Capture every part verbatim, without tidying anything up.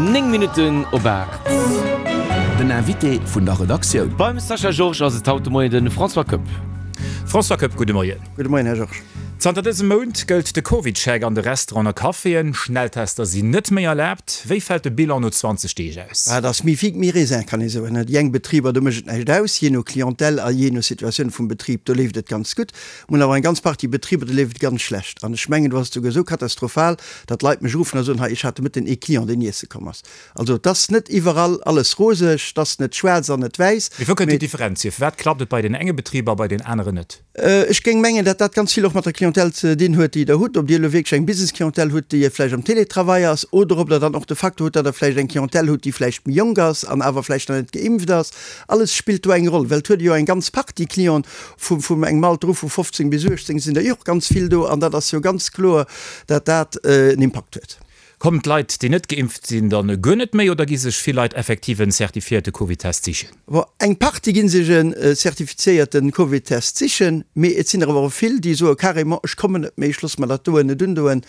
Néng Minutten op aacht. Den Invité vun der Redaktioun. Beim Sascha Georges ass et haut de Moien de François Koepp. François Koepp, gudde Moien. Gudde Moien, Här Georges. Zanter dësem Mount gëllt de CovidCheck an de Restauranten a Caféen. Schnelltester sinn net méi erlaabt. Wéi fält de Bilan no zwanzeg Deeg aus? Et ass mi-figue mi-raisin, kann ee soen. Déi eng Betriber, do mécht et näischt aus, jee no Clientèle a jee no Situatioun vum Betrib, do leeft et ganz gutt. Mir hunn awer eng ganz Partie Betriber, do leeft et ganz schlecht. An ech mengen, do ass et souguer esou katastrophal, datt Leit mech ruffen a soen, hei, ech hat de Mëtten ee Client, deen iesse komm ass. Also et ass net iwwerall alles roseg, et ass net schwaarz an net wäiss. Mee wou kënnt déi Differenz hier? Firwat klappt et bei den enge Betriber a bei den aneren net? Ech géing mengen, datt dat ganz vill och mat der Clientèle ze dinn huet, déi Der hutt, ob Dir elo wierklech eng Business-Clientèle hutt, déi vläicht am Télétravail ass, oder ob Der dann och de Facteur hutt, datt Der vläicht eng Clientèle hutt, déi vläicht méi jonk ass an awer vläicht nach net geimpft ass. Alles spillt do eng Roll, well et huet ee jo eng ganz Partie Clienten vu vum engem Alter u vu fofzéng bis uechtzéng sinn der jo och ganz vill do an dat ass jo ganz kloer, datt dat en Impakt huet. Kommen d'Leit, déi net geimpft sinn, dann guer net méi oder gi sech vill Leit effektiv en zertifiéierte Covid-Test sichen? Bon, eng Partie gi sech en zertifizéierte Covid-Test sichen, mee et sinn der awer och vill, déi soe carrément, ech kommen net méi, ech loosse mer dat doen net undoen,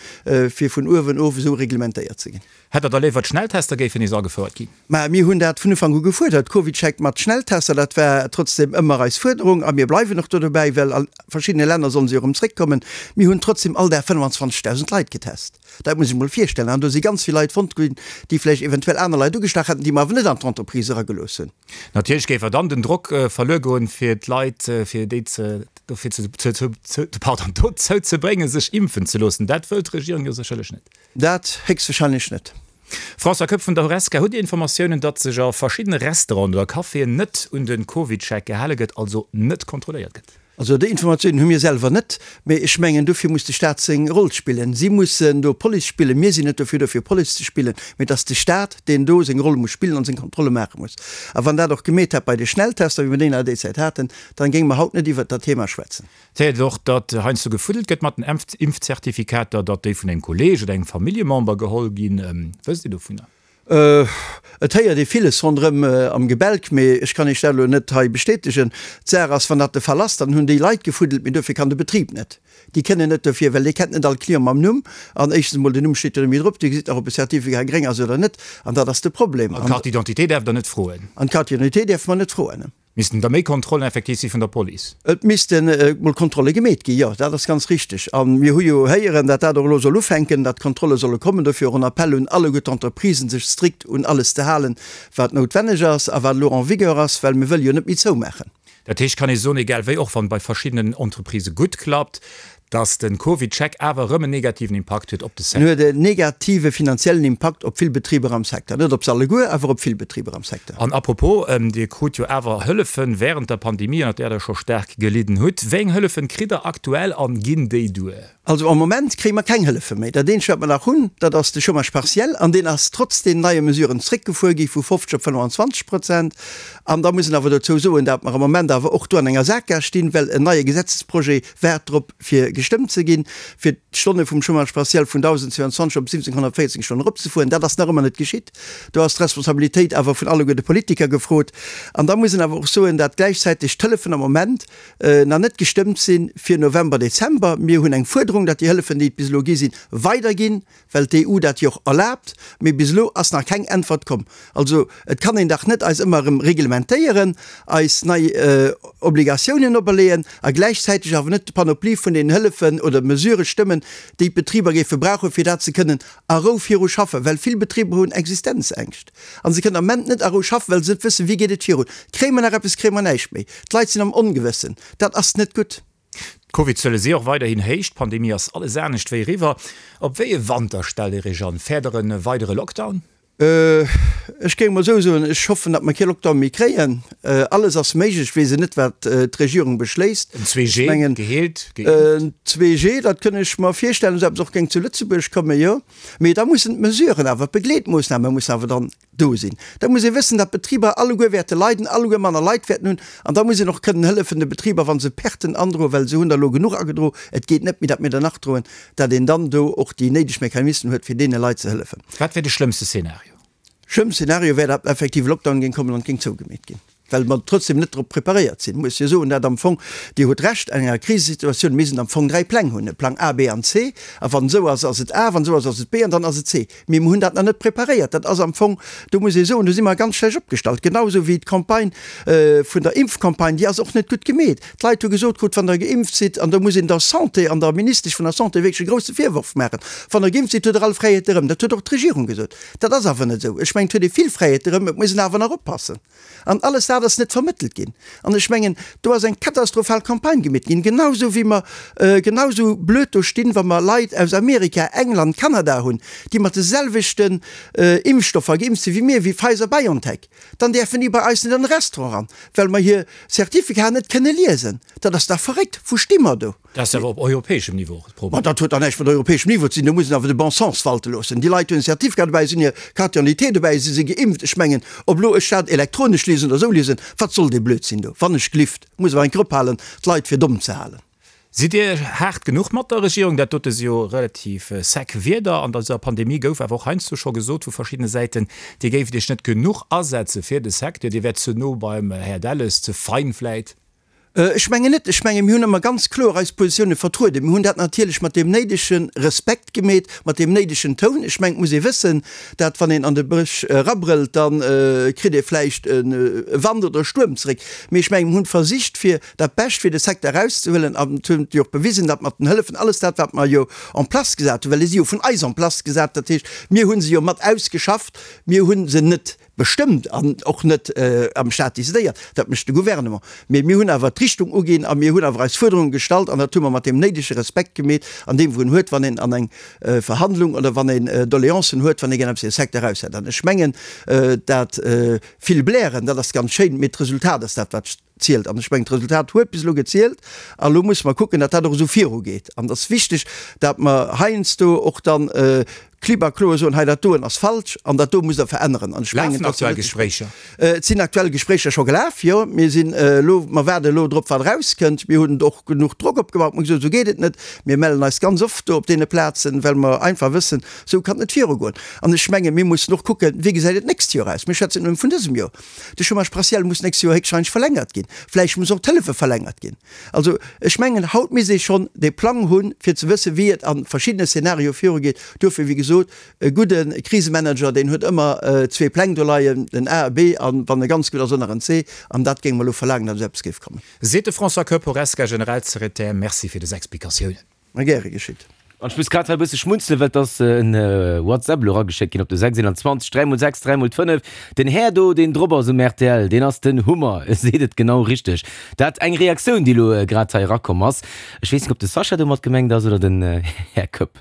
fir vun uewen of esou reglementéiert ze ginn. Hätt Der da léiwer, d'Schnelltester géifen nees agefouert ginn? Mä mir hunn dat vun Ufank u gefuerdert, CovidCheck mat Schnelltester, dat war trotzdem ëmmer eis Fuerderung a mir bleiwen och do dobäi, well a verschiddene Länner sollen se jo erëm zréckkommen. Mir hunn trotzdem all Dag fënnfanzwanzegdausend Leit getest. Dat muss ech mol virstellen. An do si ganz vill Leit fonnt ginn, déi vläicht eventuell aner Leit ugestach hätten, déi mer awer net an d'Entreprise eragelooss hunn. Natierlech géif awer dann den Drock verluer goen, fir d'Leit, fir déi ze, dofir ze, ze, ze, pardon, dozou ze bréngen, sech impfen ze loossen. Dat wëllt d'Regierung jo sécherlech net. Dat héchstwahrscheinlech net. François Koepp vun der Horesca, Hutt Dir Informatiounen, datt sech a verschiddene Restauranten oder Caféen net un de CovidCheck gehale gëtt, also net kontrolléiert gëtt? Also déi Informatiounen hu mir selwer net, mee ech mengen, dofir muss de Staat seng Roll spillen. Si mussen do Police spillen. Mir sinn net dofir do fir Police ze spillen, mee et ass de Staat, deen do seng Roll muss spillen an seng Kontrolle maache muss. A wann dat och gemeet hätt bei de Schnelltester, wéi mir déi nach déi Zäit haten, dann géinge mer haut net iwwert dat Thema schwätzen. Et héiert och, datt heiansdo gefuddelt gëtt mat den Impfzertifikater, datt déi vun engem Kolleeg oder engem Familljemember geholl ginn. Wësst Dir dovunner? Et héiert ee villes ronderëm am Gebälk, mee ech kann Iech dat elo net hei bestätegen. D'Saach ass, wann dat de Fall ass, dann hunn déi Leit gefuddelt, mee dofir kann de Betrib net. Déi kënnen net dofir, well dee kennt net all Client mam Numm. An éischtens emol, den Numm steet jo net méi drop, Dir gesitt nach, ob e Certificat gréng ass oder net. An dat ass de Problem. An d'Carte d'identité däerft Der net froen? An d'Carte d'identité däerfe mer net froen. Missten da méi Kontrollen effektiv si vun der Police? Et misste mol Kontrolle gemeet ginn, jo, dat ass ganz richteg. A mir hu jo héieren, datt dat och elo soll ufänken, datt Kontrolle solle kommen. Dofir och en Appell un alleguer d'Entreprisen, sech strikt un alles ze halen, wat noutwenneg ass a wat elo en vigueur ass, well mir wëlle jo net méi zoumaachen. Dat heescht, kann ee soen, egal wéi, och wann et bei verschiddenen Entreprisë gutt klappt, Dass den CovidCheck awer erëm en negativen Impakt huet op de En Secteur. huet en negative finanziellen Impakt op vill Betriber am Secteur. Net op se alleguer, awer op vill Betriber am Secteur. An apropos, Dir krut jo awer Hëllefen während der Pandemie, ënnert där Der scho staark gelidden hutt. Wéi eng Hëllefen kritt Der aktuell an ginn déi duer? Also am Moment kréie mer keng Hëllefe méi. Dat eenzegt, wat mer nach hunn, dat ass de Chômage partiel, an deen ass trotz den neie Mesuren zréckgefuer gi vu fofzeg op fënnfanzwanzeg Prozent. An da muss een awer dozou soen, dat mer am Moment awer och do an enger Saakgaass stinn, well en neie Gesetzesprojet waart drop, fir gestëmmt ze ginn, fir d'Stonne vum Chômage partiel vun dausend zwouandzwanzeg op siwwenzénghonnertvéierzéng Stonnen eropzefueren. Dat ass nach ëmmer net geschitt. Do ass d'Responsabilitéit awer vun alleguer de Politiker gefrot. An da muss een awer och soen, dat gläichzäiteg d'Hëllefen am Moment nach net gestëmmt si fir November, Dezember. Mir hunn eng Fuerderung, datt déi Hëllefen, déi et bis elo gi sinn, weiderginn, well d'E U dat jo och erlaabt. Mee bis elo ass nach keng Äntwert komm. Also et kann een dach net eis ëmmer erëm reglementéieren, eis nei Obligatiounen operleeën a gläichzäiteg awer net d'Panoplie vun den Hëllefen oder Mesurë stëmmen, déi d'Betriber géife brauchen, fir dat se kënnen a Rou viru schaffen. Well vill Betriber hunn Existenzängscht a se kënnen am Ament net a Rou schaffen, well se net wëssen, wéi geet et virun, kréie mer nach eppes, kréie mer näischt méi. D'Leit sinn am Ongewëssen. Dat ass net gutt. D'Covidzuele si och weiderhin héich, d'Pandemie ass alles anescht wéi eriwwer. Op wéi e Wanter stellt Dir Iech an? Fäert Der e weidere Lockdown? Ech géing mol esou soen, ech hoffen, datt mer kee Lockdown méi kréien. Alles ass méiglech. Ech weess et net, wat d'Regierung beschléisst. En zwee G, geheelt, geimpft? En zwee G, dat kënn ech mer virstellen, esou eppes och géing zu Lëtzebuerg kommen, jo. Mee da mussen d'Mesuren awer, d'Begleetmoossname mussen awer dann do sinn. Da muss ee wëssen, datt d'Betriber alleguer wäerte leiden, alleguer manner Leit wäerten hunn. An da muss een och kënnen hëllefen de Betriber, wa se Perten androen, well se hunn der elo genuch agedro, et geet net méi, datt mir der nach droen, datt een dann do och déi néideg Mechanismen huet, fir deene Leit ze hëllefen. Wat wär de schlëmmste Szenario? Schlëmmste Szenario wär, datt effektiv e Lockdown géing kommen an et géing zougemeet ginn. well mer trotzdem net drop preparéiert sinn. Muss jo soen, dat am Fong, Dir hutt Recht, an enger Krisesituatioun misst een am Fong dräi Pläng hunn, e Plang A, B an C, a wann esou ass, ass et A, wann esou ass, ass et B an dann ass et C. Mee mer hunn dat nach net preparéiert. Dat ass am Fong, do muss ee soen, do si mer ganz schlecht opgestallt. Genau esou wéi d'Campagne vun der Impfcampagne, déi ass och net gutt gemeet. D'Leit hu gesot krut, wann Der geimpft sidd, an do muss een der Santé an der Ministesch vun der Santé wierklech e grousse Virworf maachen, wann Der geimpft sidd, hutt Der all Fräiheete erëm. Dat huet och d'Regierung gesot. Dat ass awer net esou. Ech mengen, et huet ee vill Fräiheete erëm, et muss een awer nach oppassen. An alles dat ass net vermëttelt ginn. An ech mengen, do ass eng katastrophal Campagne gemeet ginn, genau esou wéi mer genau esou blöd do stinn, wa mer Leit aus Amerika, England, Kanada hunn, déi mat de selwechten Impfstoffer geimpft sinn wéi mir, wéi Pfizer-BioNTech, dann däerfen déi bei eis net an de Restaurant eran, well mer hir Certificaten net kënne liesen. Dat ass dach verréckt. Wou sti mer do? Dat ass awer op europäeschem Niveau och de Problem. Ma dat huet dach näischt mat europäeschem Niveau ze dinn. Do muss een awer de bon sens walte loossen. Déi Leit hunn en Certificat dobäi, si hunn hir Carte d'identité dobäi, si si geimpft. Ech mengen, ob elo ech dat elektronesch liesen oder esou liesen, wat soll dee Blödsinn do? Wann ech glift, muss awer eng Kéier ophalen, d'Leit fir domm ze halen. Sidd Dir haart genuch mat der Regierung? Dat dote si jo relativ sec Wierder. An dëser Pandemie gouf awer och heiansdo scho gesot vu verschiddene Säiten, Dir géift Iech net genuch asetze fir de Secteur, Dir wäert ze no beim Här Delles, ze fein vläit. Ech mengen net. Ech menge mir hunn ëmmer ganz kloer eis Positioune vertrueden. Mir hunn dat natierlech mat deem néidege Respekt gemeet, mat deem néidegen Toun. Ech mengen, et muss ee wëssen, dat wann een an de Bësch erabrëllt, da kritt ee vläicht e Wand oder e Stuerm zeréck. Mee ech mengen, mir hunn versicht, fir dat Bescht fir de Secteur erauszehuelen an et huet jo och bewisen, datt mat den Hëllefen, alles dat, wat mer jo en place gesat hunn, well déi si jo vun eis en place gesat, dat heescht, mir hu se jo mat ausgeschafft, mir hu se net bestëmmt an och net am Stat décidéiert, dat mécht de Gouvernement. Mee mir hunn awer d'Richtung uginn a mir hunn awer eis Fuerderunge gestallt an dat hu mer mat deem néidege Respekt gemeet an deem wou en huet, wann een an eng Verhandlung oder wann een Doleancen huet, wann ee gär eppes fir e Secteur eraushätt. An ech mengen, dat vill Blären, dat ass ganz schéin, mee d'Resultat ass dat, wat zielt. An ech mengen, d'Resultat huet bis elo gezielt a lo musse mer kucken, datt dat och esou virugeet. An et ass wichteg, datt mer heiansdo och dann klipp a kloer soen, hei dat doen ass falsch an dat do musst Der veränneren. An ech mengen, Lafen aktuell Gespréicher? Et sinn aktuell Gespréicher scho gelaf, jo. Mir sinn elo, mer waarden elo drop, wat erauskënnt. Mir hunn och genuch Drock opgebaut. Mir hu gesot, esou geet et net. Mir mellen eis ganz oft do op deene Plazen, well mer einfach wëssen, esou kann et net virugoen. An ech mengen, mir mussen och kucken, wéi gesäit et d'nächst Joer aus. Mir schwätzen net nëmme vun dësem Joer. De Chômage partiel muss d'nächst Joer héchstwahrscheinlech verlängert ginn. Vläicht muss och d'Hëllefe verlängert ginn. Also ech mengen, haut misst ee schonn dee Plang hunn, fir ze wëssen, wéi et a verschiddene Szenarioe virugeet. Duerfir, wéi gesot, e gudde Krisemanager, deen huet ëmmer zwee Pläng do leien, en A, e B an, wann e ganz gutt ass, och nach en C. An dat géinge mer elo verlaangen, datt esou eppes géif kommen. Seet de François Koepp, Horesca-Generalsekretär. Merci fir dës Explikatiounen. Ma gäre geschitt. An ech muss grad hei e bësse schmunzelen, well et ass en WhatsApp elo erageschéckt ginn op de sechs eenanzwanzeg dräi mol sechs dräi mol fënnef. Den Här do, deen drop ass um rtl, deen ass den Hummer, e seet et genau richteg. Dat eng Reaktioun, déi elo grad hei erakomm ass. Ech weess net, ob de Sascha domat gemengt ass oder den Här Koepp.